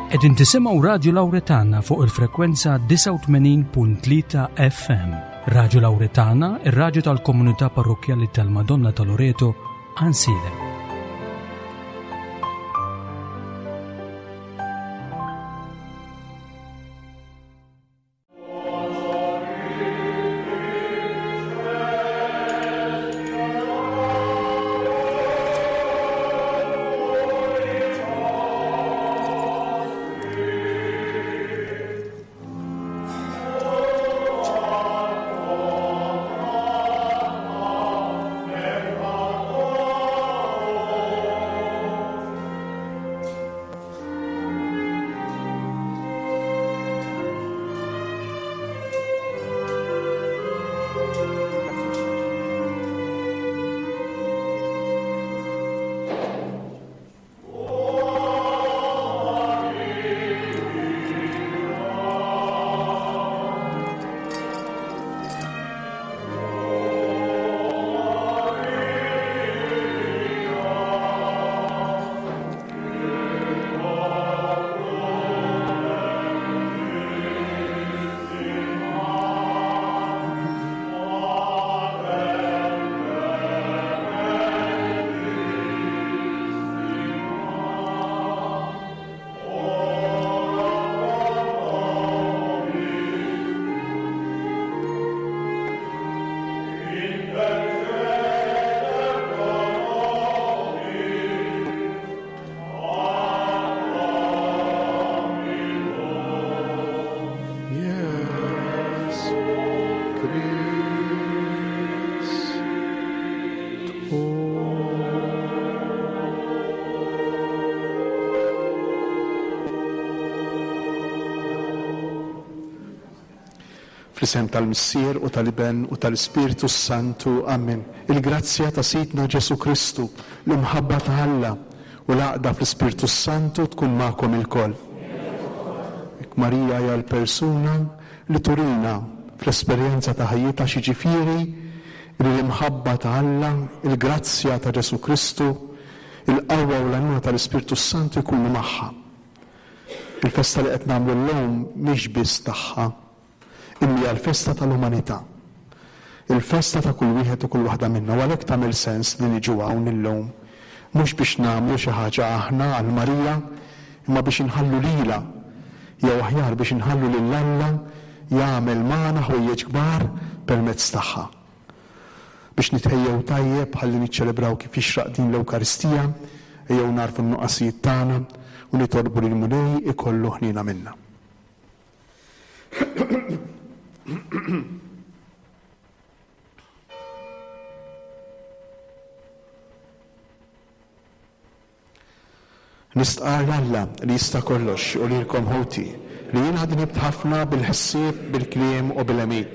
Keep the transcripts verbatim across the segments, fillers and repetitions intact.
Qegħdin tisimgħu Radju Lawretana fuq il-frekwenza disgħa u tmenin punt tlieta F M. Radju Lawretana, ir-radju tal-komunità parrokkjali tal-Madonna ta' Loreto, Għajnsielem. Fl-isem tal-Missier u tal-Iben u tal-Ispirtu Santu. Amen. Il-grazzja ta' Sidna Ġesu Kristu, l-imħabba ta' Alla u l-għaqda fl-Ispirtu Santu tkun magħkom ilkoll. Marija hija l-persuna li turina fl-esperjenza ta' ħajjitha xi ġifieri li l-imħabba ta' Alla, il-grazzja ta' Ġesu Kristu, il-qawwa u l-għajnuna tal-Ispirtu Santu jkunu magħha. Il-festa li qed nagħmlu llum mhix biss tagħha, imma hija l-festa tal-umanità. Il-festa ta' kull wieħed u kull waħda minna, u għalhekk tagħmel sens li niġu hawn illum, mhux biex nagħmlu xi ħaġa aħna għal Marija, imma biex inħallu lilha, jew aħjar biex inħallu lil Alla jagħmel magħna ħwejjeġ kbar permezz tagħha. Biex nitħejjew tajjeb ħalli niċċelebraw kif jixraq din l-Ewkaristija, ejjew narfu n-nuqqasijiet tagħna u nitolbu lil Mulej ikollu ħniena minna. Nistqarr Alla li jista' kollox u lilkom ħuti li jiena dnibt ħafna bil-ħsieb, bil-kliem u bil-għemil,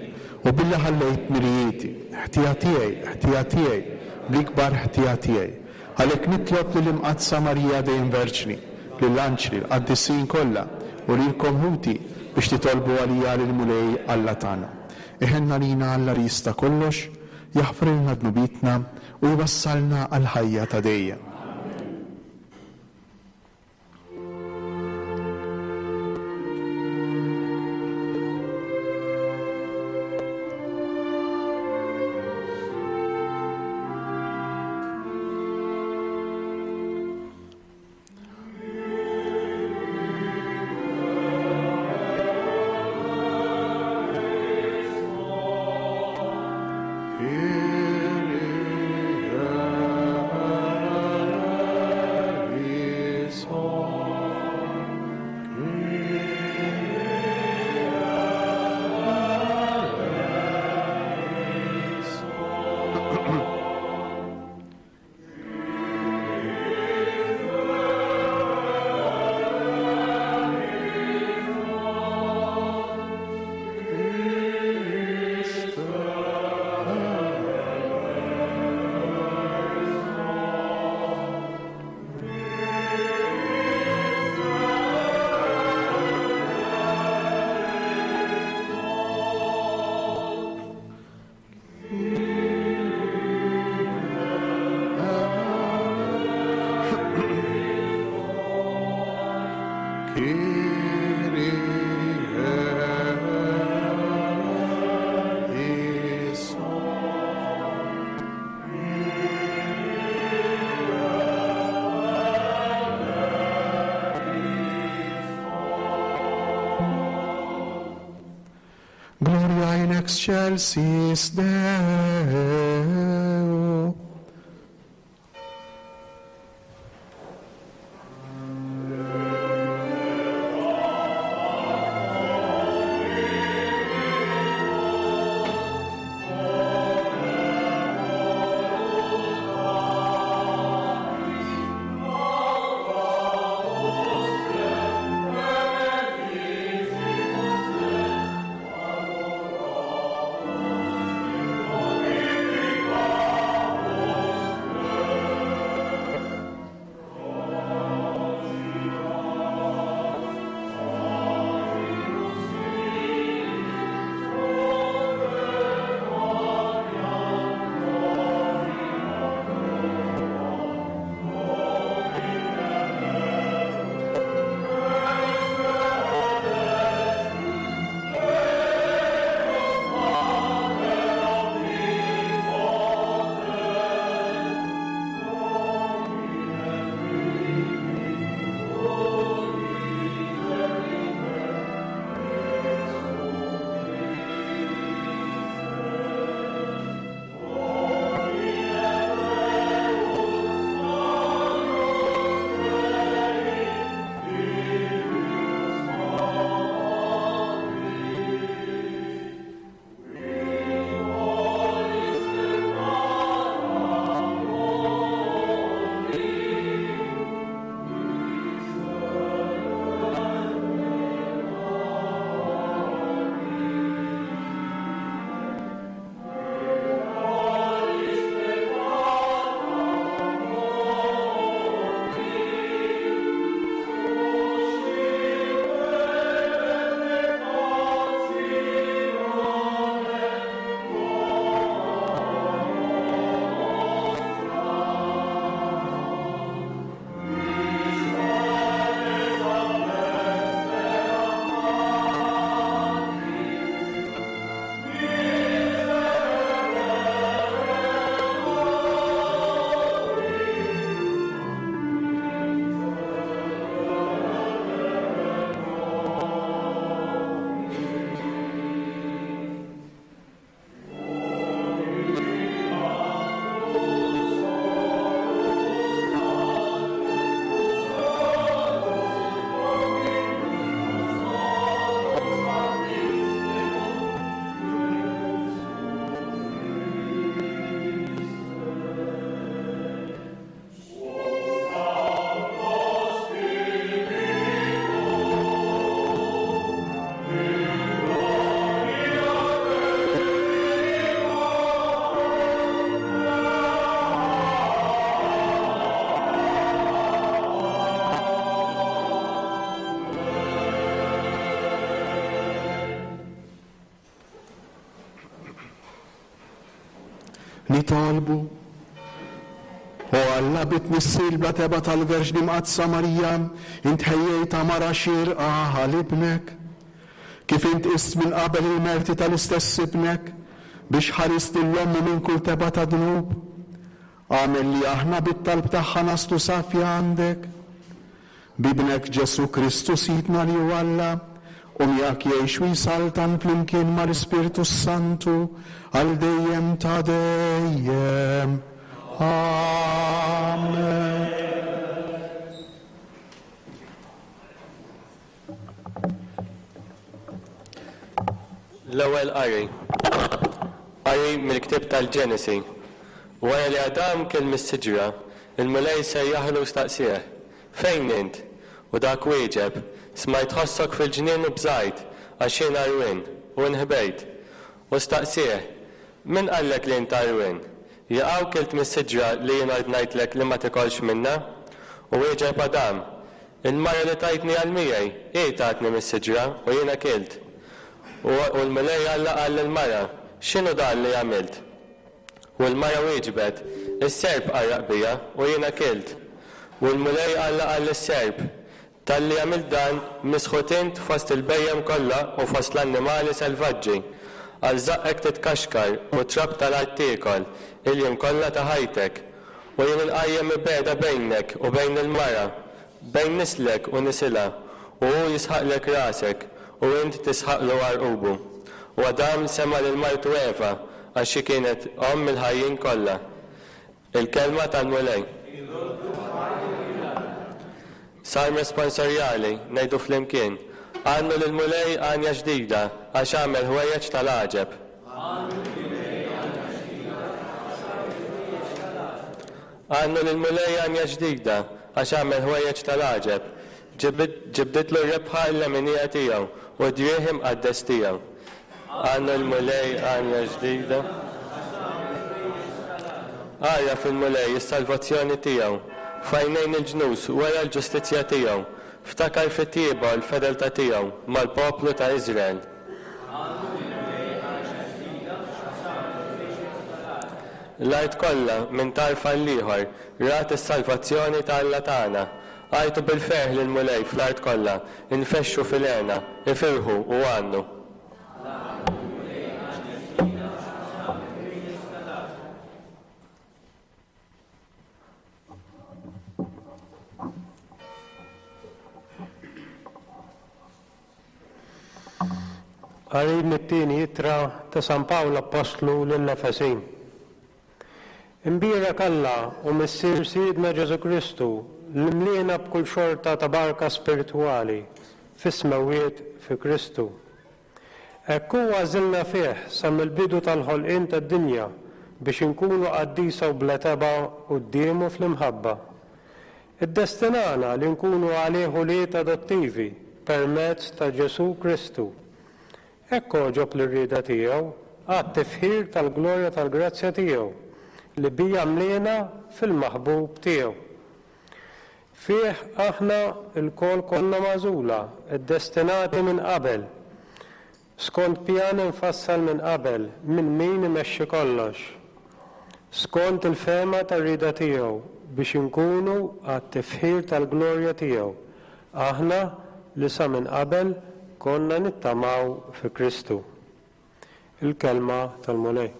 u billi ħallejt mirijieti, ħtija tiegħi, ħtija tiegħi, bl-ikbar ħtija tiegħi. Għalhekk nitlob lill-Imqaddsa Marija dejjem Verġni, lill-anġli, l-qaddisin kollha u lilkom ħuti biex titolbu għalija lill-Mulej Alla tagħna. Iħenna lina Alla li jista' kollox, jaħfrilna dnubietna u jwassalna għall-ħajja ta' dejjem. Gloria in excelsis Deo. Nitolbu. O Alla bit-tnissil bla tebgħa tal-Verġni Mqaddsa Marija, int ħejjejtha mara xierqa għal ibnek. Kif int qist minn qabel il-merti tal-istess ibnek biex ħarist lil ommu minn kull tebgħa ta' dnub. Agħmel li aħna bit-talb tagħha naslu safja għandek. B'ibnek Ġesù Kristu Sidna li hu Alla, u miegħek jgħix u jsaltan flimkien mal-Ispirtu Santu għal dejjem ta' dejjem. Amen. L-ewwel qari. Qari mill-ktieb tal-Ġenesi. Wara li Adam kiel mis-siġra, il-Mulej sejjaħlu u staqsieh: Fejn int? U dak wieġeb: Smajt ħossok fil-ġnien u bżajt, għax jien għarwien, u nħbejt. U staqsieh: Min qallek li int għarwien? Jaqaw kilt mis-siġra li jien ordnajtlek li ma tikolx minnha? U wieġeb Adam: Il-mara li tajtni għal miegħi, hi tatni mis-siġra u jiena kilt. U l-Mulej Alla qal lill-mara: X'inhu dan li għamilt? U l-mara wieġbet: Is-serp qarraq bija u jiena kilt. U l-Mulej Alla qal lis-serp: Talli għamilt dan, misħut int fost il-bhejjem kollha u fost l-annimali selvaġġi. Għal żaqqek titkaxkar u trab tal-art tiekol il-jiem kollha ta' ħajtek. U jien inqajjem mibegħda bejnek u bejn il-mara, bejn nislek u nisilha, u hu jisħaqlek rasek u int tisħaqlu għarqubu. U Adam sema lil martu Eva, għax hi kienet omm il-ħajjin kollha. Il-kelma tal-Mulej. Salm responsorjali, ngħidu flimkien. Għannu lill-Mulej għanja ġdida, għax għamel ħwejjeġ tal-għaġeb. Għannu lill-Mulej għanja ġdida, għax għamel ħwejjeġ tal-għaġeb. Ġibditlu r-rebħa l-leminija tiegħu u d-driegħ imqaddes tiegħu. Għannu l-Mulej għanja ġdida. Ara fil-Mulej is-salvazzjoni tiegħu. F'għajnejn il-ġnus wera l-ġustizzja tiegħu. Ftakar fit-tjieba u l-fedeltà tiegħu mal-poplu ta' Iżrael. L-art kollha minn tarf għall-ieħor rat is-salvazzjoni ta' Alla tagħna. Għajtu bil-ferħ lill-Mulej fl-art kollha, infexxu fil-hena, ifirħu u għannu. Qari mit-tieni ittra ta' San Pawl Appostlu lill-Efesin. Imbierek Alla u Missier Sidna Ġesù Kristu li mliena b'kull xorta ta' barka spiritwali fis-smewwiet fi Kristu. Hekk hu għażilna fih sa mill-bidu tal-ħolqien tad-dinja biex inkunu qaddisa u bla tebgħa quddiemu fl-imħabba. Iddestinana li nkunu għalih ulied adottivi permezz ta' Ġesù Kristu. Hekk għoġob lir-rieda tiegħu għat-tifħir tal-glorja tal-grazzja tiegħu li bija mliena fil-maħbub tiegħu. Fih aħna lkoll konna magħżula, iddestinati minn qabel, skont pjan infassal minn qabel minn min imexxi kollox, skont il-fehma tar-rieda tiegħu biex inkunu għat-tifħir tal-glorja tiegħu, aħna li sa minn qabel konna nittamaw fi Kristu. Il-kelma tal-Mulej.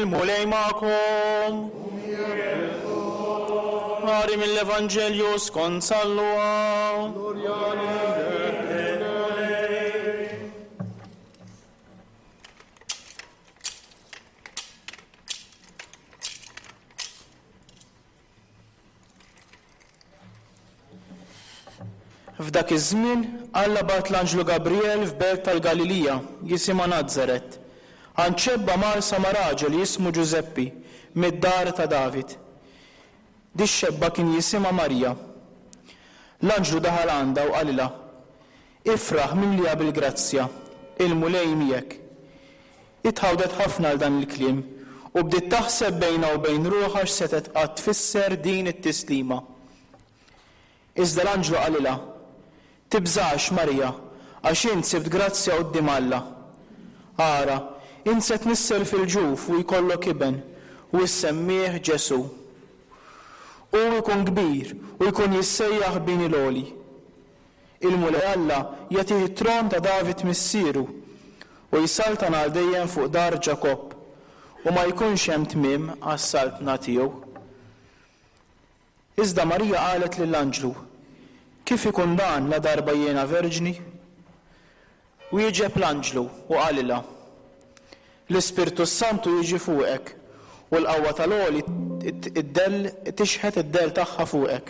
Il-Mulej magħkom. Qari mill-Evanġelju skont San Luqa. F'dak iż-żmien Alla bagħat l-anġlu Gabriel f'belt tal-Galilija jisimha Nazaret, għand xebba marsa ma' raġel jismu Ġużeppi mid-dar ta' David. Di xebba kien jisimha Marija. L-anġlu daħal għandha u qalilha: Ifraħ mimlija bil-grazzja, il-Mulej miegħek. Itħawdet ħafna għal dan il-kliem u bdiet taħseb bejnha u bejn ruħha x'setgħet qatt tfisser din it-tislima. Iżda l-anġlu qalilha: Tibżax, Marija, għax int sibt grazzja quddiem Alla. Ara, int se tnissel fil-ġuf u jkollok iben, u issemmih Ġesù. Hu jkun kbir u jkun jissejjaħ bin il-Għoli. Il-Mulej Alla jagħtih it-tron ta' David missieru u jsaltan għal dejjem fuq dar Ġakobb, u ma jkunx hemm tmiem għas-saltna tiegħu. Iżda Marija qalet lill-anġlu: Kif ikun dan la darba jiena verġni? Wieġeb l-anġlu u qalilha: L-Ispirtu Santu jiġi fuqek u l-qawwa tal-Għoli id-dell tixħet id-dell tagħha fuqek.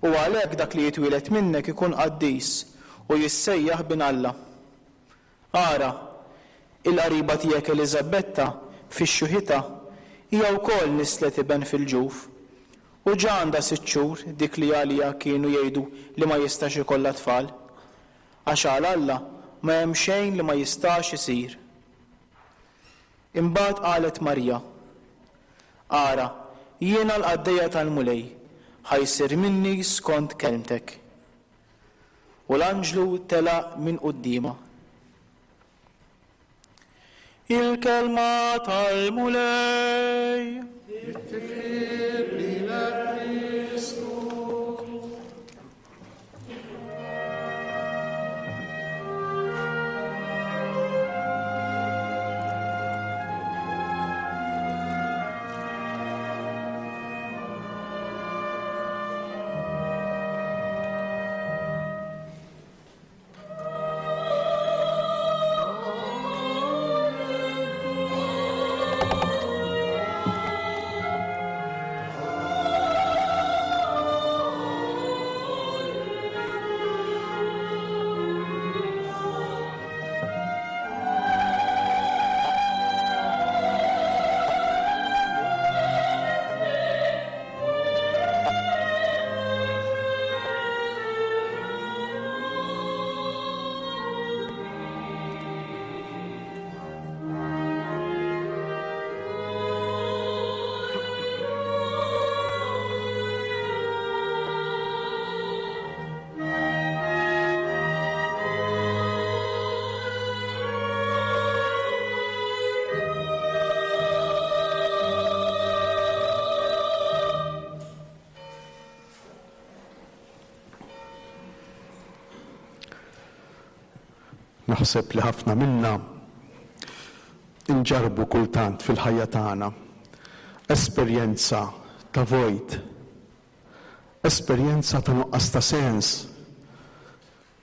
U għalhekk dak li jitwieled minnek ikun qaddis u jissejjaħ bin Alla. Ara, il-qariba tiegħek Eliżabetta fix-xuħita hija wkoll nislet iben fil-ġuf. U ġa għandha sitt xhur dik li għalija kienu jgħidu li ma jistax ikollha tfal, għax għal Alla ma hemm xejn li ma jistax isir. Imbagħad qalet Marija: Ara, jiena l-qaddejja tal-Mulej, ħa jsir minni skont kelmtek. U l-anġlu telaq minn quddiemha. Il-kelma tal-Mulej. It-tifħir lilek Kristu. Naħseb li ħafna minna inġarbu kultant fil-ħajja tagħna esperjenza ta' vojt, esperjenza ta' nuqqas ta' sens.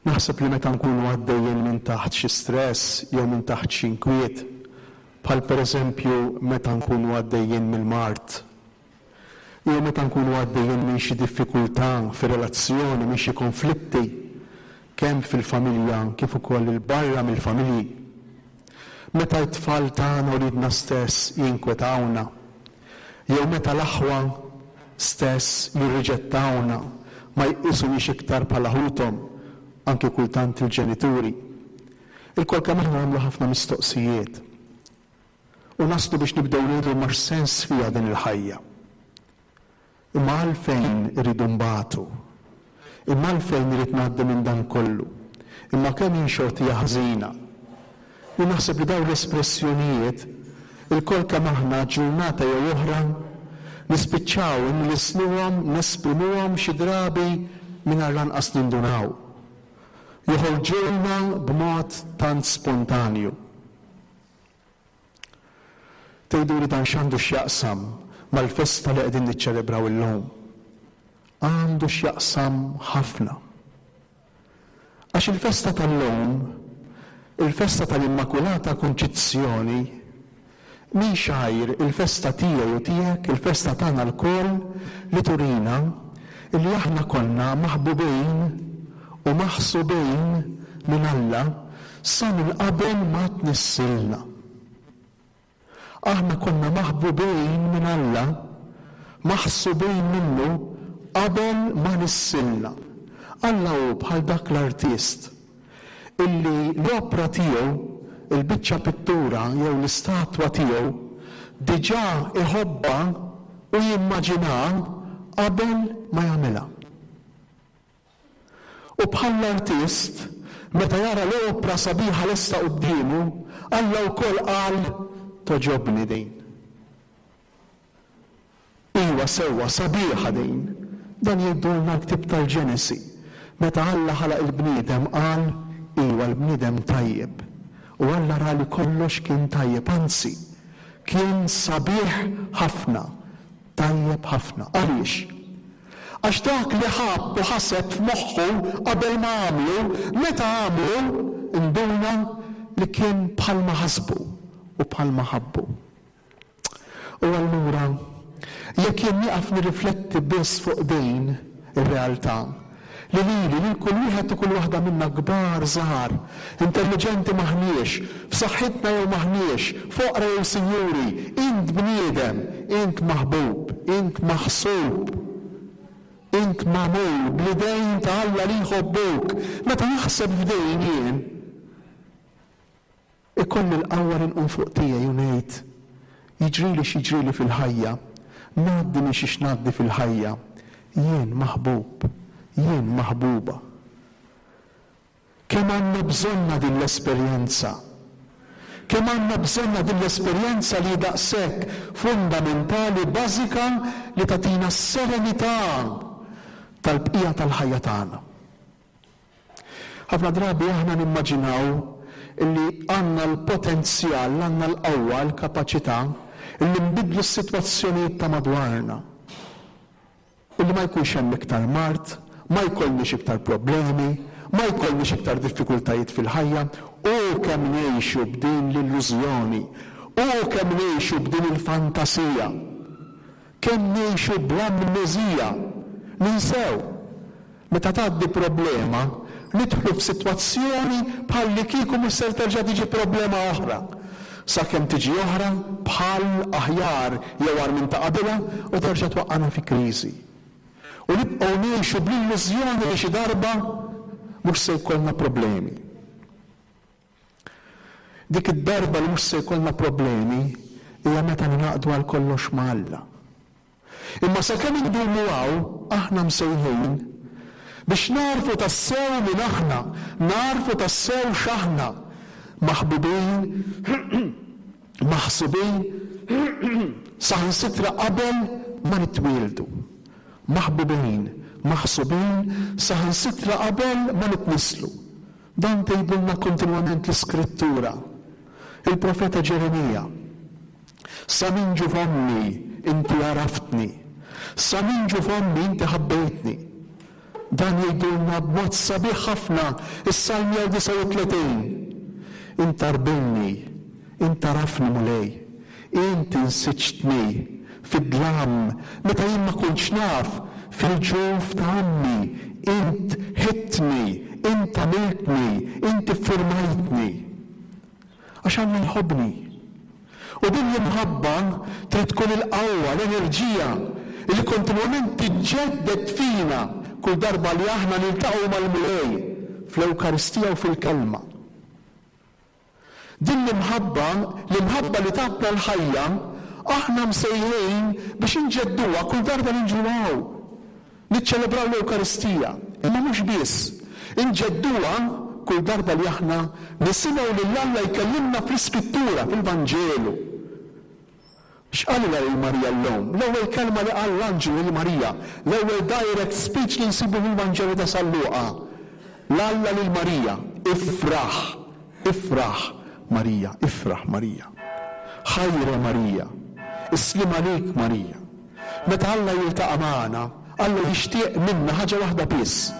Naħseb li meta nkunu għaddejjin minn taħt xi stress jew minn taħt xi inkwiet, bħal pereżempju meta nkunu għaddejjin mill-mard, jew meta nkunu għaddejjin minn xi diffikultà fir-relazzjoni, minn xi konflitti, kemm fil-familja kif ukoll il-barra mill-familji. Meta t-tfal tagħna u wliedna stess jinkwetawna, jew meta l-aħwa stess jirriġettawna, ma jqisuniex iktar bħala ħuthom, anke kultant il-ġenituri. Ilkoll kemm aħna nagħmlu ħafna mistoqsijiet u naslu biex nibdew ngħidu ma x'sens fiha din il-ħajja. Imma għalfejn irridu nbatu? Imma għalfejn irid ngħaddi minn dan kollu? Imma kemm hi xortija ħażina? Jien naħseb li dawn l-espressjonijiet ilkoll kemm aħna ġurnata jew oħra nispiċċaw inlisnuhom, nesprimuhom xi drabi mingħajr lanqas nindunaw. Joħorġulna b'mod tant spontanju. Tgħiduli dan x'għandu x'jaqsam mal-festa li qegħdin niċċelebraw illum? Għandu x'jaqsam ħafna. Għax il-festa tal-lum, il-festa tal-Immakulata Kunċizzjoni, mhix għajr il-festa tiegħi u tiegħek, il-festa tagħna lkoll li turina illi aħna konna maħbubin u maħsubin minn Alla sa minn qabel ma tnissilna. Aħna konna maħbubin minn Alla, maħsubin minnu qabel ma nissilna. Alla hu bħal dak l-artist illi l-opra tiegħu, il-biċċa pittura jew l-istatwa tiegħu, diġà iħobbha u jimmaġinaha qabel ma jagħmilha. U bħall-artist, meta jara l-opra sabiħa lesta quddiemu, Alla wkoll qal toġobni din. Iwa sewwa sabiħa din. Dan jgħidulna l-ktieb tal-Ġenesi. Meta Alla ħalaq il-bniedem qal iwa l-bniedem tajjeb. U Alla ra li kollox kien tajjeb, anzi kien sabiħ ħafna, tajjeb ħafna. Għaliex? Għax dak li ħabb u ħaseb f'moħħu qabel ma għamlu, meta għamlu, induna li kien bħalma ħasbu u bħalma ħabbu. U allura, jekk jien nieqaf nirrifletti biss fuq din ir-realtà, li lili, lil kull wieħed u kull waħda minna kbar żgħar, intelliġenti maħniex, f'saħħitna jew maħniex, foqra jew sinjuri, int bniedem, int maħbub, int maħsub, int magħmul bl-idejn ta' Alla li jħobbuk. Meta naħseb f'dejn jien, ikolli l-qawwa li nqum fuq tiegħi u ngħid, jiġrili x'jiġrili fil-ħajja, ngħaddi minn xiex ngħaddi fil-ħajja, jien maħbub, jien maħbuba. Kemm għandna bżonna din l-esperjenza? Kemm għandna bżonna din l-esperjenza li daqshekk fundamentali, bażika, li tagħtina s-serenità tal-bqija tal-ħajja tagħna. Ħafna drabi aħna nimmaġinaw illi għandna l-potenzjal, għandna l-qawwa, l-kapaċità illi nbidlu s-sitwazzjonijiet ta' madwarna. Illi ma jkunx hemm iktar mard, ma jkollniex iktar problemi, ma jkollniex iktar diffikultajiet fil-ħajja, u kemm ngħixu b'din l-illużjoni, u kemm ngħixu b'din il-fantasija, kemm ngħixu bl-amneżija. Ninsew, meta tgħaddi problema, nidħlu f'sitwazzjoni bħal li kieku mhux ser terġa' tiġi problema oħra. Sakemm tiġi oħra bħal aħjar jew agħar minn ta' qabilha u terġa' twaqqana fi kriżi. U nibqgħu ngħixu bl-illużjoni li xi darba mhux se jkollna problemi. Dik id-darba li mhux se jkollna problemi hija meta ningħaqdu għal kollox ma' Alla. Imma sakemm indumu hawn, aħna msejħin biex narfu tassew min aħna, narfu tassew x'aħna, maħbubin, maħsubin, saħansitra qabel ma nitwieldu. Maħbubin, maħsubin, saħansitra qabel ma nitnislu. Dan tgħidulna kontinwament l-Iskrittura. Il-profeta Ġeremija, sa minn ġuf ommi inti għaraftni, sa minn ġuf ommi inti ħabbejtni. Dan jgħidulna b'mod sabiħ ħafna is-Salm disgħa u tletin. Int arbilni, int għarafni Mulej, int insiġtni fid-dlam meta jien ma kontx naf, fil-ġuf ta' ommi, int ħidtni, int għamiltni, int iffurmajtni. Għax Alla jħobbni. U din l-imħabba trid tkun il-qawwa, l-enerġija li kontinwament tiġġedded fina kull darba li aħna niltaqgħu mal-Mulej fl-Ewkaristija u fil-Kelma. Din l-imħabba, l-imħabba li tagħtna l-ħajja, aħna msejħin biex inġedduha kull darba li nġu hawn. Niċċelebraw l-Ewkaristija, imma mhux biss, inġedduha kull darba li aħna nisimgħu lil Alla jkellimna fl-Iskrittura, fil-Vanġelu. X'qalilha lil Marija llum? L-ewwel kelma li qal l-anġlu lil Marija, l-ewwel direct speech li nsibu fil-Vanġelu ta' San Luqa. L-Alla lil Marija, ifraħ, ifraħ Marija, ifraħ Marija. Ħajre Marija, is-sliem għalik Marija. Meta Alla jiltaqa' magħna, Alla jixtieq minna ħaġa waħda biss,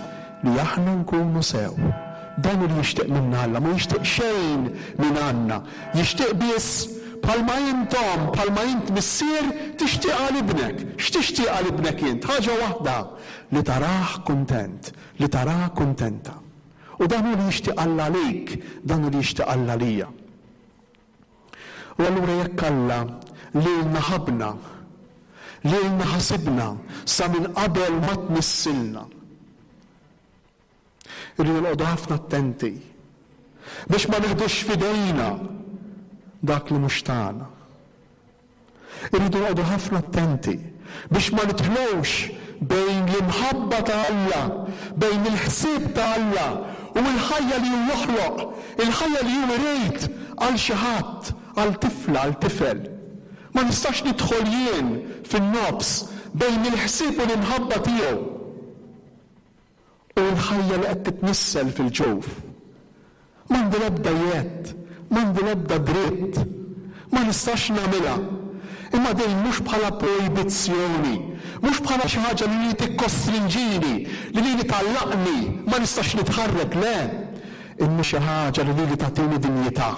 li aħna nkunu sew. Dan li jixtieq minna Alla, ma jixtieq xejn minn għandna. Jixtieq biss bħalma intom, bħalma int missier tixtieq għal ibnek. X'tixtieq għal ibnek int? Ħaġa waħda, li tarah kuntent, li tarah kuntenta. U dan hu li jixtieq Alla għalik, dan hu li jixtieq Alla għalija. U allura jekk Alla lilna ħabna, lilna ħasibna sa minn qabel ma tnissilna, irridu noqogħdu ħafna attenti biex ma neħdux f'idejna dak li mhux tagħna. Irridu noqogħdu ħafna attenti biex ma nidħlux bejn l-imħabba ta' Alla, bejn il-ħsieb ta' Alla u l-ħajja li hu joħloq, il-ħajja li hu irid għal xi ħadd, għal tifla, għal tifel. Ma nistax nidħol jien fin-nofs bejn il-ħsieb u l-imħabba tiegħu u l-ħajja li qed titnissel fil-ġuf. M'għandi l-ebda jedd, m'għandi l-ebda dritt, ma nistax nagħmilha. Imma dejjem mhux bħala projbizzjoni, mhux bħala xi ħaġa li li tikkostrinġini, li li tgħallaqni, ma nistax nitħarrek, le. Imma xi ħaġa li li tagħtini dinjità.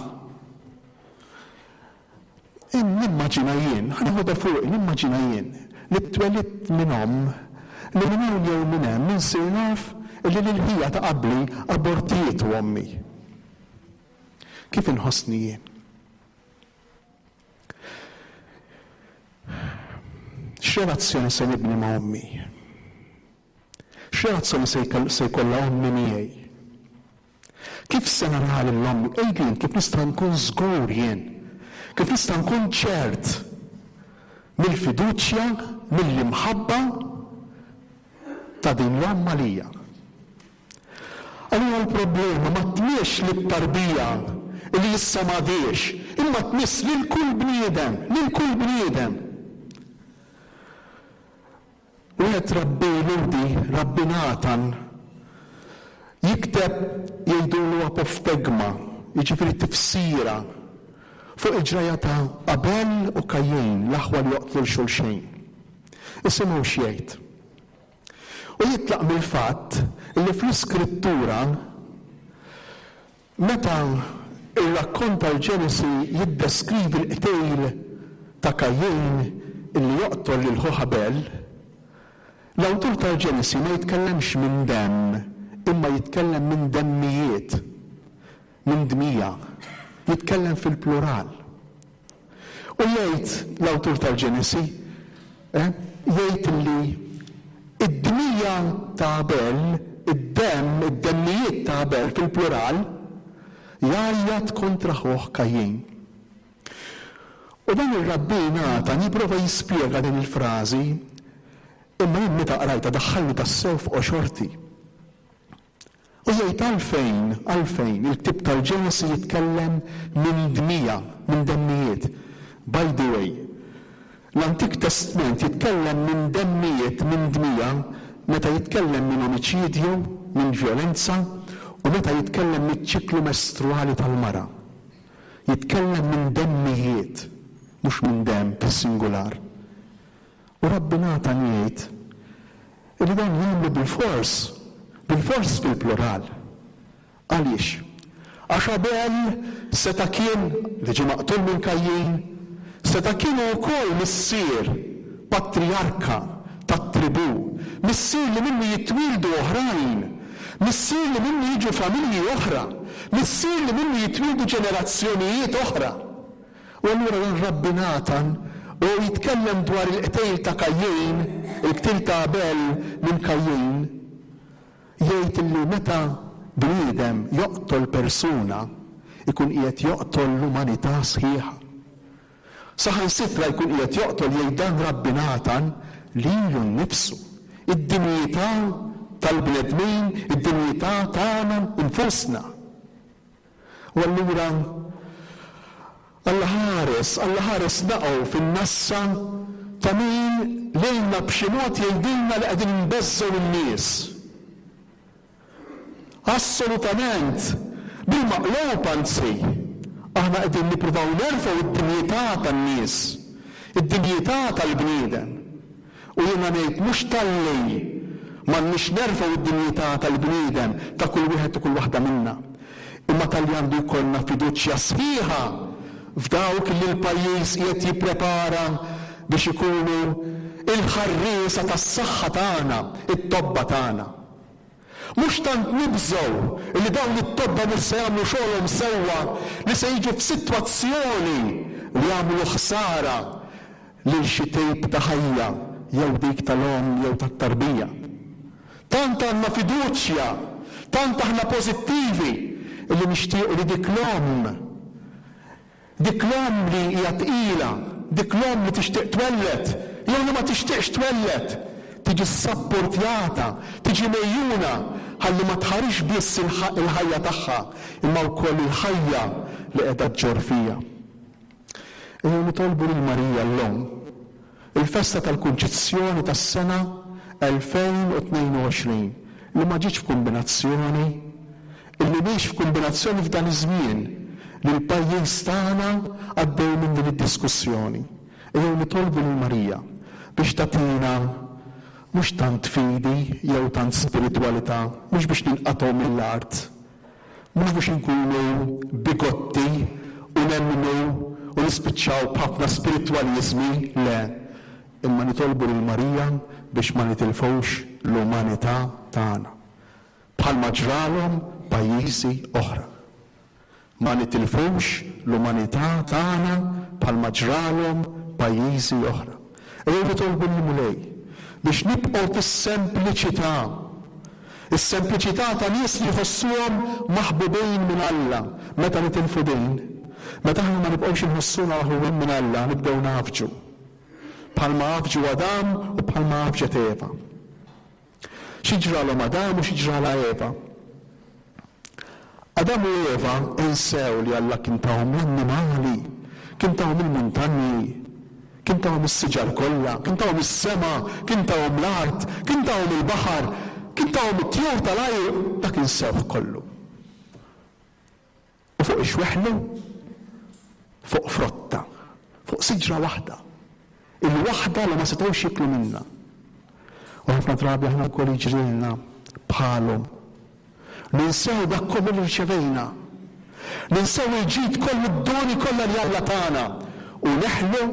Nimmaġina jien, ħa neħodha fuq, nimmaġina jien li twelidt minn omm, li minn hawn jew minn hemm insir naf li l-ħija ta' qabli abortietu ommi. Kif inħossni jien? X'relazzjoni se nibni ma' ommi? X'relazzjoni se jkollha ommi miegħi? Kif se nara lil ommi? Għidli kif nista' nkun żgur jien? Kif nista' nkun ċert mill-fiduċja, mill-imħabba ta' din l-omm għalija? Allura l-problema ma tmiex lit-tarbija li issa m'għadiex, imma tmiss lil kull bniedem, lil kull bniedem. Wieħed Rabbi Ludi, Rabbi Natan, jikteb jgħidulu apoftegma, jiġifieri tifsira fuq il-ġraja ta' Abel u Kajjin, l-aħwa li joqtlu l xulxin. Isimgħu x'jgħid. U jitlaq mill-fatt li fl-Iskrittura meta ir-rakkont tal-Ġenesi jiddeskrivi l-qtejl ta' Kajjin illi joqtol lil ħuh Abel, l-awtur tal-Ġenesi ma jitkellemx minn demm, imma jitkellem minn demmijiet, minn dmija, jitkellem fil-plural. U jgħid l-awtur tal-Ġenesi, eh, jgħid li id-dmija ta' Abel, id-demm, id-demmijiet ta' Abel fil-plural, jgħajjat kontra ħuh Kajjin. U dan ir-Rabbi Natan jipprova jispjega din il-frażi, imma jien meta qrajtha daħħalni tassew f'qoxorti. U jgħid għalfejn, għalfejn il-ktieb tal-Ġenesi jitkellem minn dmija, minn demmijiet. By the way, l-Antik Testament jitkellem minn demmijiet, minn dmija, meta jitkellem minn omiċidju, minn vjolenza, u meta jitkellem miċ-ċiklu mestruali tal-mara. Jitkellem minn demmijiet, mhux minn demm fis-singular. U Rabbi Natan jgħid li dan jagħmlu bil-fors, bil-fors fil-plural. Għaliex? Għax Abel seta' kien li ġie maqtul minn Kajjin, seta' kien ukoll missier patriarka tat-tribù, missier li minnu jitwieldu oħrajn, missier li minnu jiġu familji oħra, missier li minnu jitwieldu ġenerazzjonijiet oħra. U allura dan Rabbi Natan u jitkellem dwar il-qtejl ta' Kajjin, il-qtil ta' Abel minn Kajjin, jgħid li meta bniedem joqtol persuna, ikun qiegħed joqtol l-umanità sħiħa. Saħansitra jkun qiegħed joqtol, jgħid dan Rabbi Natan, lilu nnifsu, id-dinjità tal-bnedmin, id-dinjità tagħna nfusna. U allura Alla ħares, Alla ħares naqgħu fin-nassa ta' min lejna b'xi mod jgħidilna li qegħdin nbeżżgħu n-nies. Assolutament, bil-maqlub anzi, Aħna qegħdin nippruvaw nerfgħu id-dinjità tan-nies, id-dinjità tal-bniedem. U jiena ngħid mhux talli m'għandniex nerfgħu id-dinjità tal-bniedem ta' kull wieħed u kull waħda minna, imma talli għandu jkollna fiduċja sħiħa f'dawk li l-pajjiż qiegħed jipprepara biex ikunu il-ħarriesa tas-saħħa tagħna, it-tobba tagħna. Mhux tant nibżgħu li dawn it-tobba mhux se jagħmlu xogħolhom sewwa, li se jiġu f'sitwazzjoni li jagħmlu ħsara lil xi tip ta' ħajja jew dik tal-omm jew tat-tarbija. Tant għandna fiduċja, tant aħna pożittivi li nixtiequ li dik l-omm, dik l-omm li hija tqila, dik l-omm li tixtieq twelled, jew li ma tixtieqx twelled, tiġi sapportjata, tiġi mejjuna ħalli ma tħarix biss il-ħajja tagħha, imma wkoll il-ħajja li qiegħda ġġorr fija. Ejjew nitolbu lil Marija llum, il-festa tal-Kunċizzjoni tas-sena elfejn u tnejn u għoxrin, li ma ġietx f'kombinazzjoni, illi mhix f'kombinazzjoni f'dan iż-żmien li l-pajjiż tagħna għaddew minn din id-diskussjoni. Ejjew nitolbu lil Marija biex tagħtina mhux tant fidi jew tant spiritwalità, mhux biex ninqatgħu mill-art, mhux biex inkunu bigotti u nemmnu u nispiċċaw b'ħafna spiritwaliżmi, le, imma nitolbu lil Marija biex ma nitilfux l-umanità tagħna, bħalma ġralhom pajjiżi oħra. Ma nitilfux l-umanità tagħna bħalma ġralhom pajjiżi oħra. Ejjew nitolbu lill-Mulej biex nibqgħu fis-sempliċità. Is-sempliċità ta' nies li jħossuhom maħbubin minn Alla. Meta nitilfu din, meta aħna ma nibqgħux inħossuna maħbubin minn Alla, nibdew nafġu. Bħalma għafġu Adam u bħalma għafġet Eva. Xi ġralhom Adam u xi ġralha Eva? Adam u Eva insew li Alla kien tahom l-annimali, kien tahom il-muntanji, kien tahom is-siġar kollha, kien tahom is-sema, kien tahom l-art, kien tahom il-baħar, kien tahom it-tjur tal-ajru, dak insewh kollu. U fuq ixweħlu? Fuq frotta, fuq siġra waħda, il-waħda li ma setgħux jiklu minnha. U ħafna drabi aħna wkoll jiġrilna bħalhom. Ninsew dak kollu li rċevejna, ninsew il-ġid kollu, d-doni kollha li Alla tagħna, u neħlu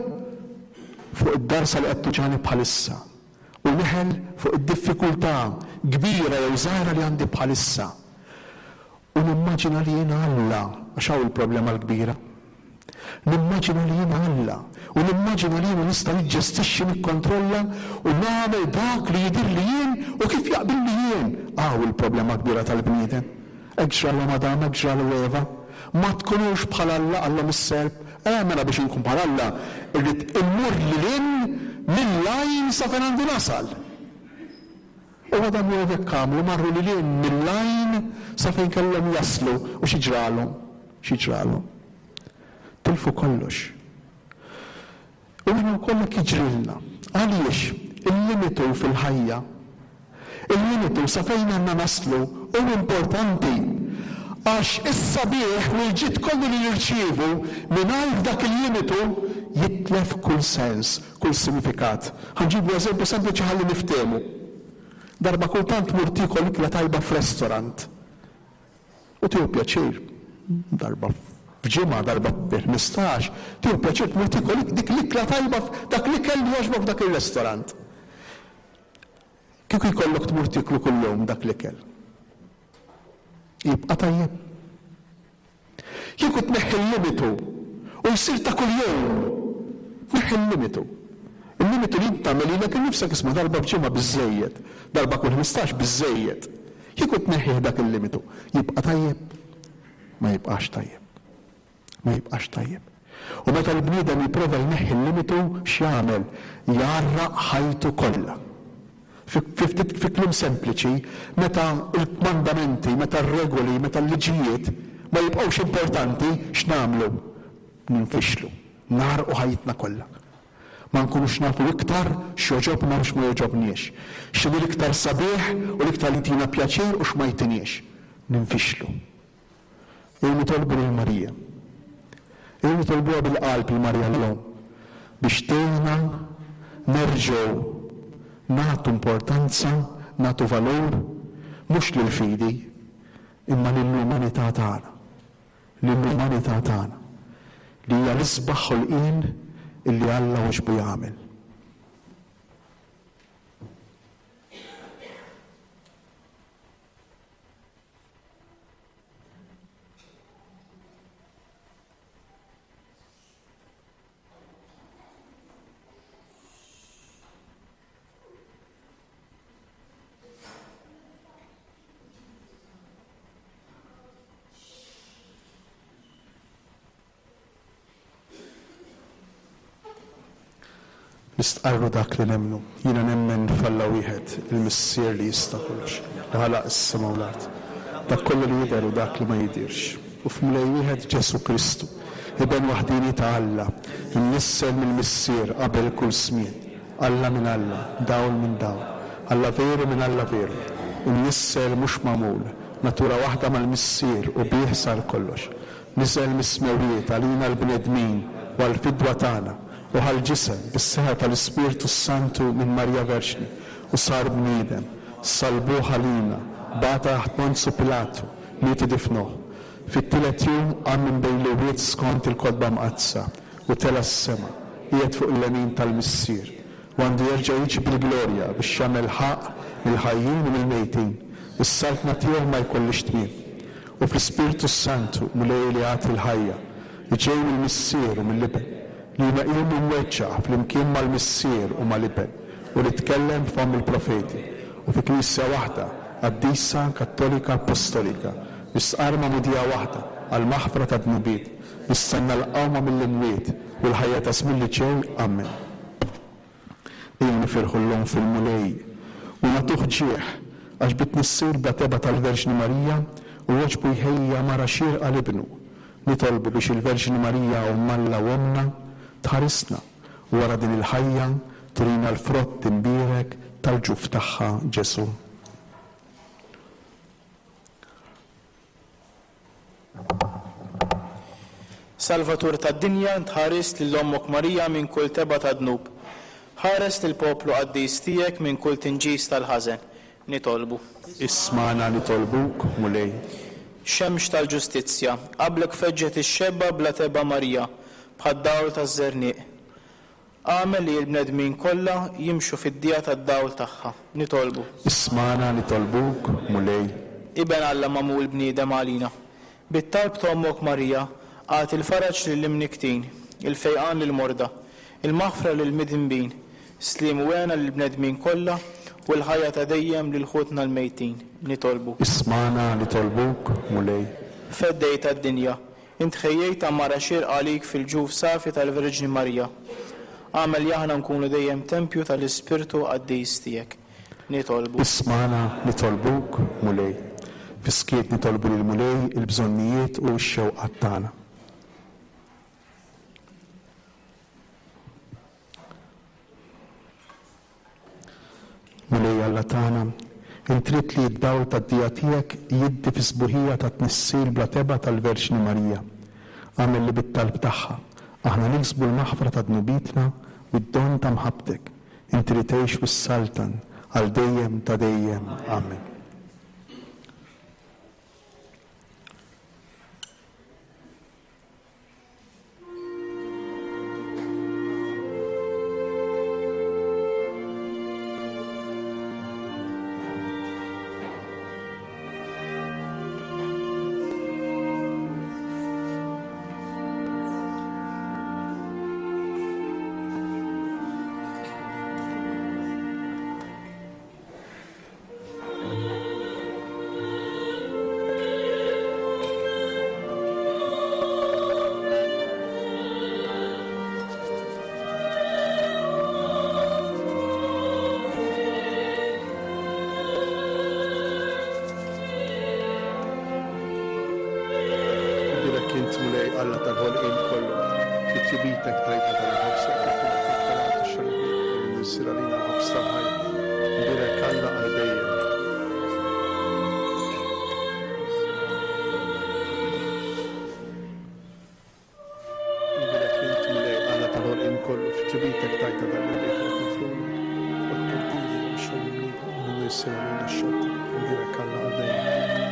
fuq id-darsa li qed tuġani bħalissa, u neħel fuq id-diffikultà kbira jew żgħira li għandi bħalissa. U nimmaġina li jiena Alla, għax hawn il-problema l-kbira. Nimmaġina li jiena Alla, u nimmaġina li jiena nista' niġġestixxi, nikkontrolla u nagħmel dak li jidhir li jien u kif jaqbilli jien. Hawn il-problema kbira tal-bniedem. Hekk ġralhom Adam, hekk ġralu Eva. Ma tkunux bħal Alla, qallhom is-serp. Eh, mela biex inkun bħal Alla, irrid immur lil hinn mill-għajn sa fejn għandi nasal. U Adam u Eva hekk għamlu, marru lil hinn mill-għajn sa fejn kellhom jaslu, u xi ġralhom? Xi ġralhom? Tilfu kollox. U aħna wkoll hekk jiġrilna. Għaliex il-limitu fil-ħajja, il-limitu sa fejn għandna naslu hu importanti, għax is-sabiħ u l-ġid kollu li nirċievu mingħajr dak il-limitu jitlef kull sens, kull sinifikat. Ħanġibu eżempju sempliċi ħalli niftehmu. Darba kultant tmur tiekol ikla tajba f'restaurant u tieħu pjaċir, darba f'ġimgħa, darba fi ħmistax, tieħu pjaċir tmur tiekol dik l-ikla tajba, dak l-ikel li jogħġbok f'dak ir-restaurant. Kieku jkollok tmur tieklu kuljum dak l-ikel, jibqa' tajjeb. Kieku tneħħi l-limitu u jsir ta' kuljum, tneħħi l-limitu. Il-limitu li inti tagħmel lilek innifsek, isma' darba f'ġimgħa biżżejjed, darba kull ħmistax biżżejjed. Kieku tneħħih dak il-limitu, jibqa' tajjeb? Ma jibqax tajjeb. Ma jibqax tajjeb. U meta l-bniedem jipprova jneħħi l-limitu, x'jagħmel? Jgħarraq ħajtu kollha. Fi, fi, fi kliem sempliċi, meta l-kmandamenti, meta r-regoli, meta l-liġijiet ma jibqgħux importanti, x'nagħmlu? Ninfixlu, nagħrqu ħajtna kollha. Ma nkunux nafu iktar x'joġobna u x'ma joġobniex. X'inhu l-iktar sabiħ u l-iktar li jtina pjaċir u x'ma jtiniex. Ninfixlu. Jew nitolbu lil Marija Ejjew nitolbuha bil-qalb lil Marija l-Omm biex tgħinna nerġgħu nagħtu importanza, nagħtu valur mhux lill-fidi imma lill-umanità tagħna. Lill-umanità tagħna li hija l-isbaħ ħolqien illi Alla għoġbu jagħmel. Nistqarru dak li nemmnu. Jiena nemmen f'Alla wieħed, il-Missier li jista' kollox, li ħalaq is-sema u l-art, dak kollu li jidher u dak li ma jidhirx. U f'Mulej wieħed Ġesù Kristu, Iben waħdieni ta' Alla, imnissel mill-Missier qabel kull żmien, Alla minn Alla, dawl minn dawl, Alla veru minn Alla veru, imnissel mhux magħmul, natura waħda mal-Missier u bih sar kollox. Niżel mis-smewwiet għalina l-bnedmin u għall-fidwa tagħna, u ħa l-ġisem bis-seħħa tal-Ispirtu Santu minn Marija Verġni u sar bniedem, salbuh għalina, bata taħt Ponzu Pilatu, miet u difnuh. Fit-tielet jum qam minn bejn l-imwiet skont il-Kotba Mqaddsa u tela' s-sema, qiegħed fuq il-lemin tal-Missier, u għandu jerġa' jiġi bil-glorja biex jagħmel ħaqq mill-ħajjin u mill-mejtin, is-saltna tiegħu ma jkollhiex tmiem. U fl-Ispirtu Santu, Mulej li jagħti l-ħajja, li ġej mill-Missier u mill-Iben, li hu meqjum u mweġġa' flimkien mal-Missier u mal-Iben, u li tkellem b'fomm il-profeti, u fi Knisja waħda, qaddisa, kattolika, apostolika, nistqarr magħmudija waħda għall-maħfra tad-dnubiet, nistenna l-qawma mill-imwiet u l-ħajja ta' żmien li ġej. Amen. Ejjew nifirħu llum fil-Mulej u nagħtuh ġieħ, għax bit-tnissir bla tebgħa tal-Verġni Marija u għoġbu jħejji għamara xierqa 'l Ibnu. Nitolbu biex il-Verġni Marija Omm Alla u Ommna tħarisna u wara din il-ħajja turina l-frott imbierek tal-ġuf tagħha Ġesù. Salvatur tad-dinja, int ħarist lil Ommok Marija minn kull tebgħa ta' dnub. Ħares lill-poplu qaddis tiegħek minn kull tinġis tal-ħażen. Nitolbu. Ismagħna nitolbuk, Mulej. Xemx tal-ġustizzja, qablek feġġet ix-xebba bla tebgħa Marija, bħad-dawl taż-żerniq. Agħmel li l-bnedmin kollha jimxu fid-dija tad-dawl tagħha. Nitolbu. Ismagħna nitolbuk, Mulej. Iben Alla magħmul bniedem għalina. Bit-talb ta' Ommok Marija, agħti l-faraġ lill-imniktin, il-fejqan lill-morda, il-maħfra lill-midinbin, sliem u hena lill-bnedmin kollha u l-ħajja ta' dejjem lil ħutna l-mejtin. Nitolbu. Ismagħna nitolbuk, Mulej. Feddej tad-dinja, int ħejjejt għamara xierqa għalik fil-ġuf safi tal-Verġni Marija. Agħmel li aħna nkunu dejjem tempju tal-Ispirtu qaddis tiegħek. Nitolbu. Ismagħna nitolbuk, Mulej. Fis-skiet nitolbu lil Mulej il-bżonnijiet u x-xewqat tagħna. Mulej Alla tagħna, int trid li d-dawl tad-dija tiegħek jiddi fis-sbuħija tat-tnissil bla tebgħa tal-Verġni Marija. Agħmel li bit-talb tagħha aħna niksbu l-maħfra ta' dnubietna u d-don ta' mħabbtek, inti li tgħix u s-saltan għal dejjem ta' dejjem. Amen. Alla tal-ħolqien kollu, fit-tjubitek tajta tal-ħobż, tal-ħobż, tal-ħobż tal-ħajja. Nbierek Alla għal dejjem. Missier għalina x-xott. Imbierek Alla għal dejjem.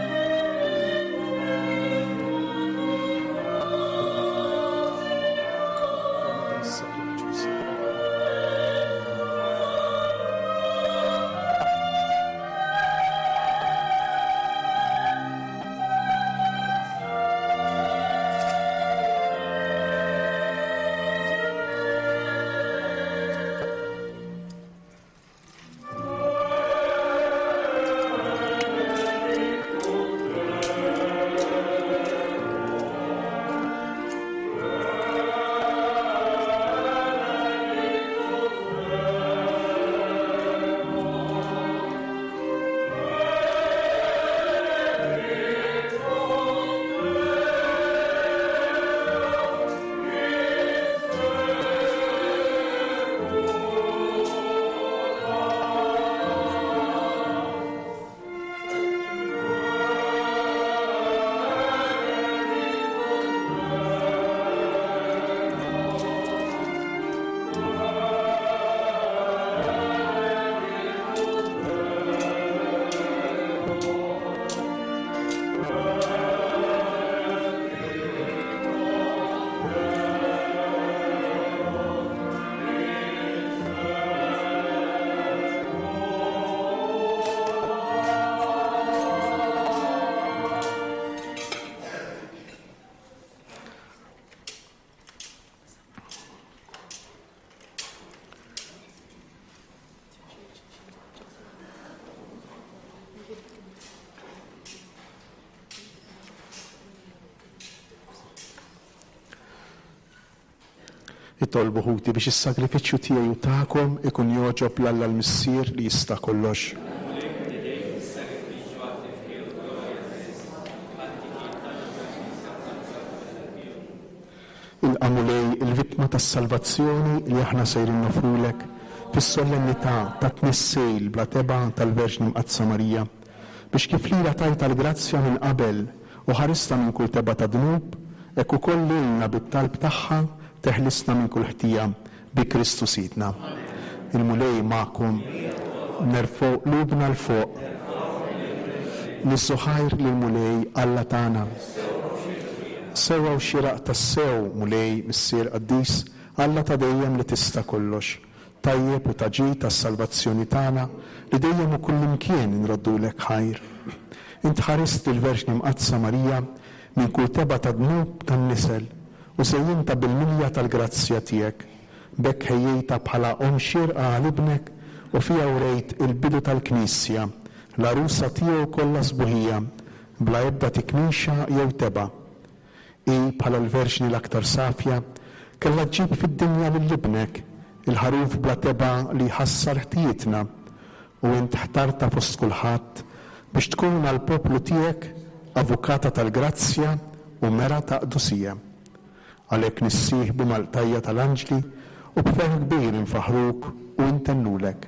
Itolbu ħuti biex is-sagrifiċċju tiegħi u tagħkom ikun jogħġob 'l Alla l-Missier li jista' kollox. Ilqa' Mulej il-vittma tas-salvazzjoni li aħna sejrin nofrulek fis-solennità ta' tnissejl bla tebgħa tal-Verġni Mqaddsa Marija, biex kif lilha tajtha l-grazzja minn qabel u ħaristha minn kull tebgħa ta' dnub, hekk ukoll lilna bit-talb tagħha teħlisna minn kull ħtija bi Kristu Sidna. Il-Mulej magħkom, nerfgħu qlubna 'l fuq. Niżżu ħajr lill-Mulej Alla tagħna. Sewwa u xieraq tassew, Mulej, Missier Qaddis, Alla ta' dejjem li tista' kollox, tajjeb u ta' ġid tas-salvazzjoni tagħna li dejjem u kullimkien inroddulek ħajr. Int ħarist lill-Verġni Mqaddsa Marija minn kull tebgħa ta' dnub tan-nisel u żejjinta bil-milja tal-grazzja tiegħek. B'hekk ħejjejtha bħala omm xierqa għal ibnek u fiha wrejt il-bidu tal-Knisja, l-għarusa tiegħu kollha sbuħija, bla ebda tikmixa jew tebgħa. Hi bħala l-Verġni l-aktar safja kellha ġġib fid-dinja lil ibnek, il-ħaruf bla tebgħa li jħassar ħtijietna, u int ħtarta fost kulħadd biex tkun għall-poplu tiegħek avukata tal-grazzja u mera ta' qdusija. Għalhekk nissieħbu mal-qtajja tal-anġli u b'ferħ kbir infaħruk u ntennulek.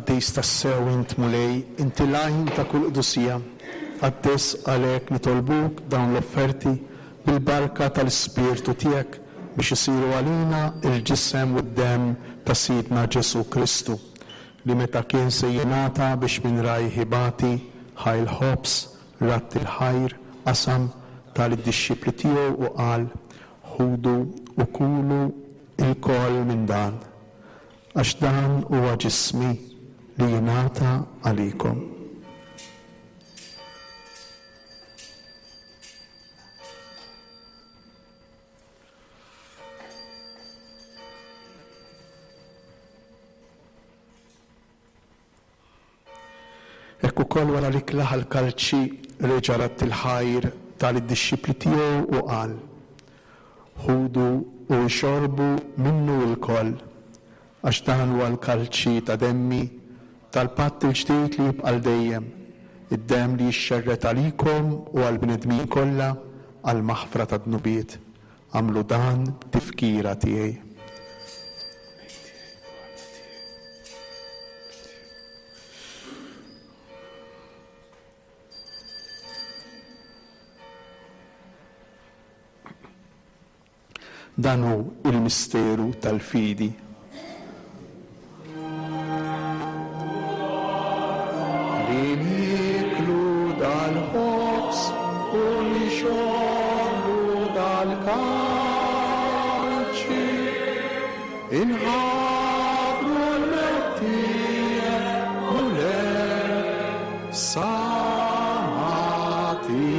Qaddis tassew int Mulej, inti l-għajn ta' kull qdusija. Qaddis għalhekk nitolbuk dawn l-offerti bil-barka tal-Ispirtu tiegħek biex isiru għalina il-ġisem u d-demm ta' Sidna Ġesu Kristu, li meta kien se jingħata biex minn rajh ibati, ħa l-ħobż, radd il-ħajr, qasam tal-dixxipli tiegħu u qal: ħudu u kulu ilkoll minn dan, għax dan huwa ġismi li jingħata għalikom. Hekk ukoll wara li klaħ l-kalċi reġa' radd il-ħajr tal-dixxipli tiegħu u qal: ħudu u xorbu minnu lkoll, għax dan huwa l-kalċi ta' demmi tal-patt il-ġdid li jibqa' dejjem, id-demm li jixxerred għalikom u għall-bnedmin kollha għall-maħfra tad-dnubiet. Għamlu dan tifkira tiegħi. Dan hu il-misteru tal-fidi. Li nieklu dal-ħobż u nixorbu dal-kalċi, inħabbru l-mewt tiegħek Mulej sa ma tiġi.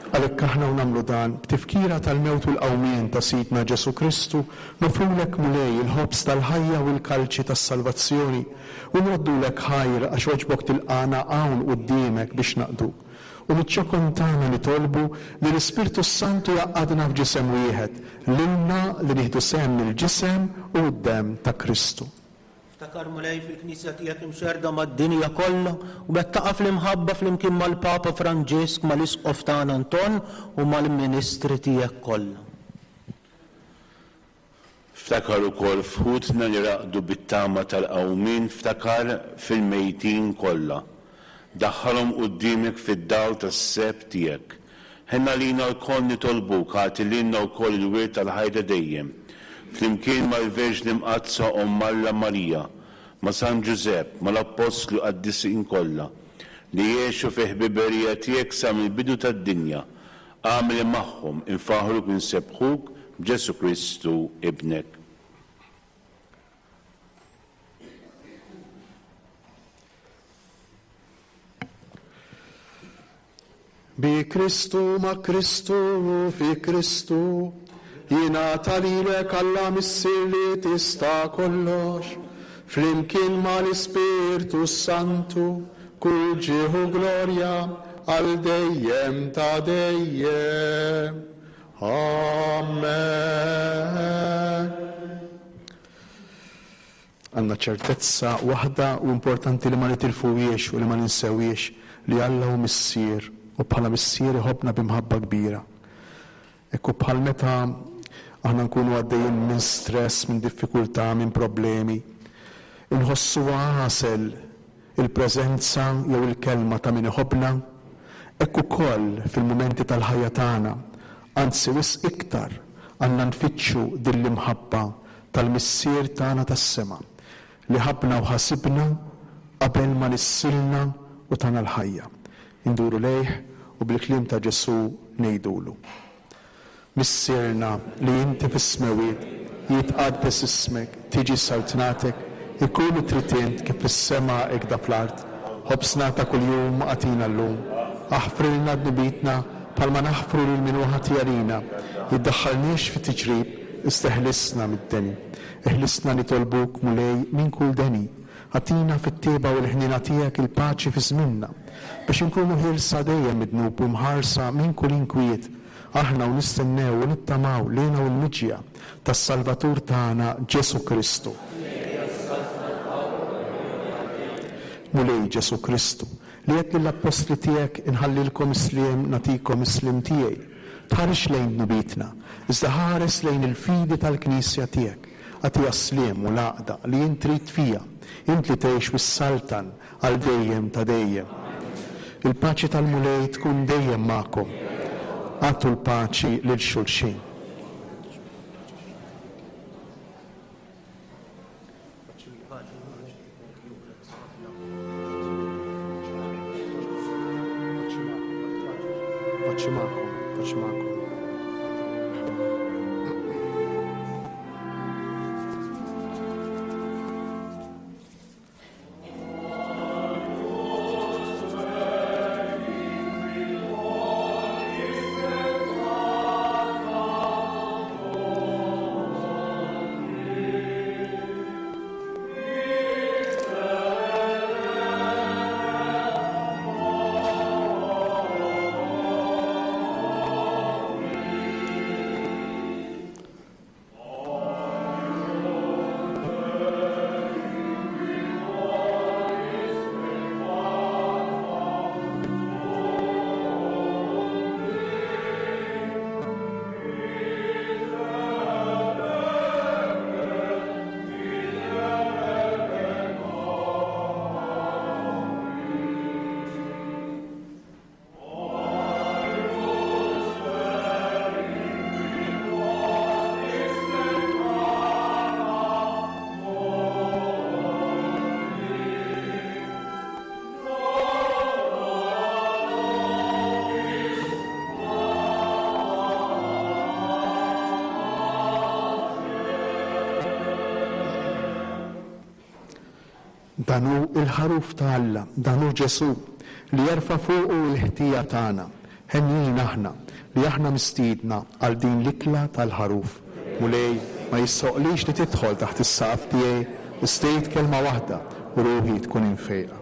Għalhekk aħna u nagħmlu dan b'tifkira tal-mewt u l-qawmien ta' Sidna Ġesu Kristu, nofrulek Mulej il-ħobż tal-ħajja u l-kalċi tas-salvazzjoni, u nroddulek ħajr għax għoġbok tilqana hawn quddiemek biex naqduk. U miċ-ċokon tagħna nitolbu li l-Ispirtu Santu jgħaqqadna f'ġisem wieħed, lilna li nieħdu sehem mill-ġisem u d-demm ta' Kristu. Ftakar Mulej fil-Knisja tiegħek imxerda mad-dinja kollha u wettaqa fl-imħabba flimkien mal-Papa Franġisk, mal-Isqof tagħna Anton u mal-Ministri tiegħek kollha. Ftakar ukoll f'ħutna li raqdu bit-tama tal-qawmien, ftakar fil-mejtin kollha. Daħħalhom quddiemek fid-dawl tas-seb tiegħek. Ħenna lina lkoll nitolbuk, agħti lilna wkoll il-wirt tal-ħajja dejjem. Flimkien mal-Verġni Mqaddsa Omm Alla Marija, ma' San Ġużepp, mal-Appostli u qaddisin kollha, li jgħixu fi ħbiberija tiegħek sa mill-bidu tad-dinja, agħmel magħhom infaħruk u nsebbħuk b'Ġesu Kristu ibnek. Bi Kristu, ma' Kristu, fi Kristu, jingħata lilek Alla Missier li tista' kollox, flimkien mal-Ispirtu Santu, kull ġieħ u glorja għal dejjem ta' dejjem. Amen. Għandna ċertezza waħda u importanti li ma nitilfuhiex u li ma ninsewhiex, li Alla hu Missier u bħala Missier iħobbna b'imħabba kbira. Ekku bħal meta aħna nkunu għaddejjin minn stress, minn diffikultà, minn problemi, inħossu għasel il-preżenza jew il-kelma ta' min iħobbna, hekk ukoll fil-mumenti tal-ħajja tagħna, anzi wisq iktar għandna nfittxu din l-imħabba tal-Missier tagħna tas-sema li ħabbna u ħasibna qabel ma nissilna u tagħna l-ħajja. Induru lejh u bil-kliem ta' Ġesu ngħidulu: Missierna li inti fis-smewwiet, jitqaddes ismek, tiġi saltnatek, ikun trid int kif fis-sema hekk fl-art. Ħobżna ta' kuljum agħtina llum. Aħfrilna dnubitna bħalma naħfru lil min hu ħati għalina. Jiddaħħalniex fit-tiġrib, isteħlisna mid-deni. Eħlisna nitolbuk Mulej minn kull deni. Agħtina fit-tieba u l-ħniena tiegħek il-paċi fi żmienna, biex inkunu ħielsa dejjem mid-dnub u mħarsa minn kull inkwiet, aħna u nistennew u nittamaw lejna u l-miġja tas-Salvatur tagħna Ġesu Kristu. Mulej Ġesu Kristu, li għedt lill-appostli tiegħek inħallilkom is-sliem, nagħtikom is-sliem tiegħi. Tħares lejn dnubietna, iżda ħares lejn il-fidi tal-Knisja tiegħek. Agħtiha s-sliem u l-għaqda li int trid fiha, int li tgħix bis-saltan għal dejjem ta' dejjem. Il-paċi tal-Mulej tkun dejjem magħkom. Agħtu l-paċi lil xulxin. Paċi magħkom, paċi magħkom. Dan hu il-ħaruf ta' Alla, dan hu Ġesù li jerfa' fuqu l-ħtija tagħna. Henjin aħna li aħna mistiedna għal din l-ikla tal-ħaruf. Mulej, ma jissoqlix li tidħol taħt is-saqaf tiegħi, istejt kelma waħda u ruħi tkun imfejqa.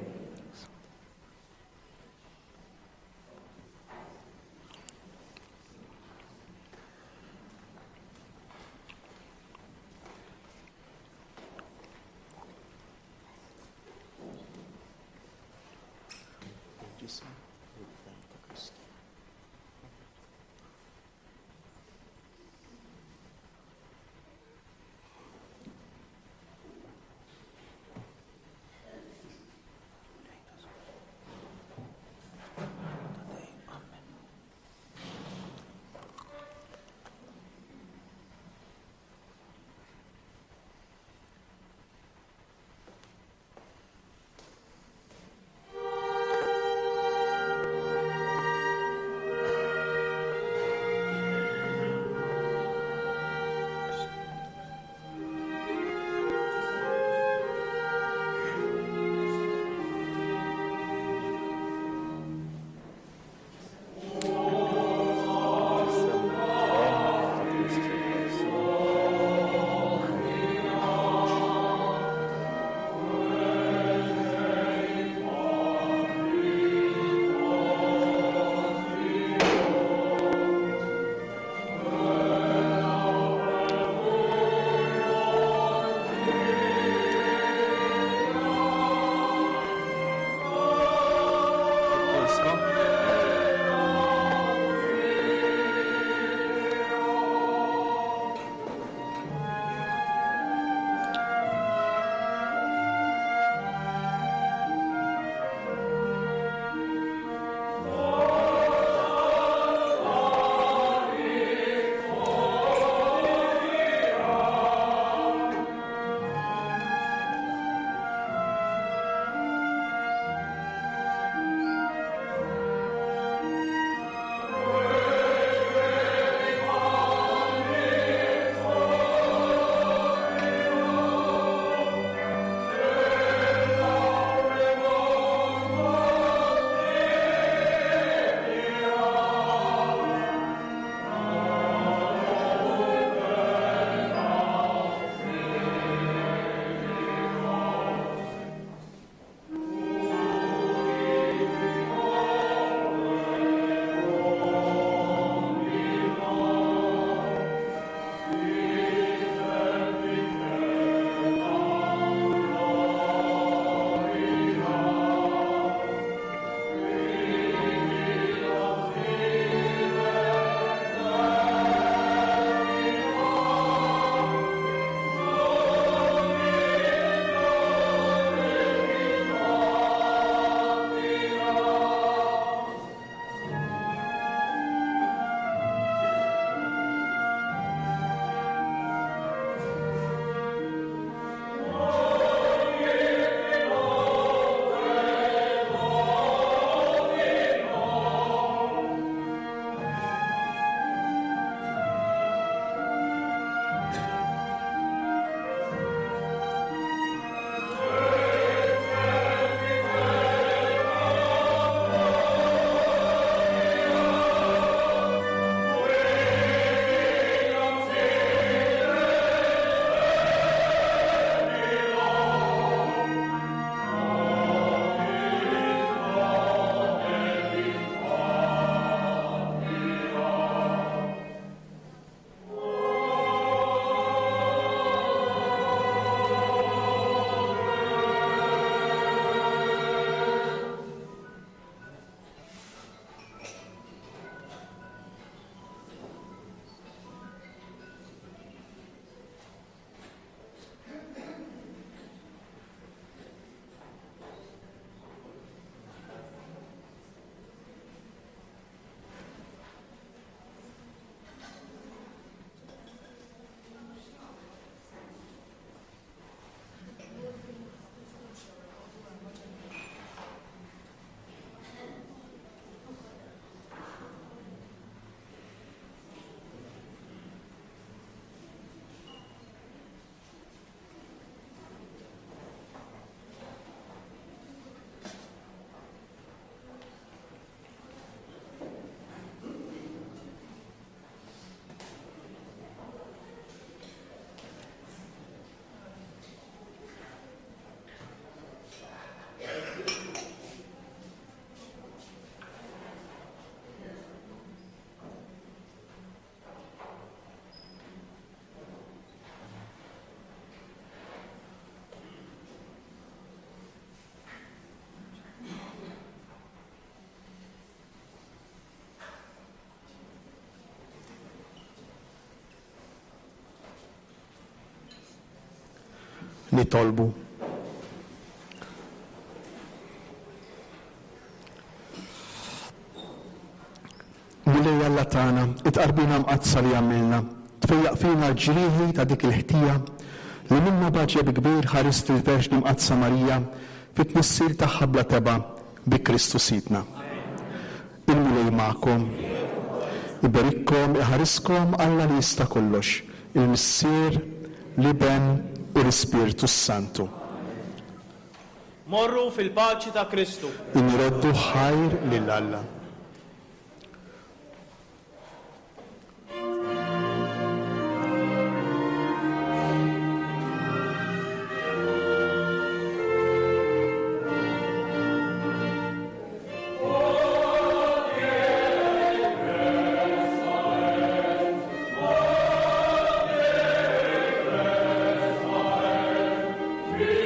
Nitolbu. Mulej Alla tagħna, it-tqarbina mqaddsa li għamilna, tfejjaq fina l-ġrieħi ta' dik il-ħtija li minna b'għaġeb kbir ħarist il-Verġni Mqaddsa Marija fit-tnissil tagħha bla tebgħa bi Kristu Sidna. Il-Mulej magħkom. Iberikkom, iħariskom Alla li jista' kollox, il-Missier, l-Iben u l-Ispirtu s-Santu. Morru fil-paċi ta' Kristu. Inroddu ħajr lil Alla. Amen.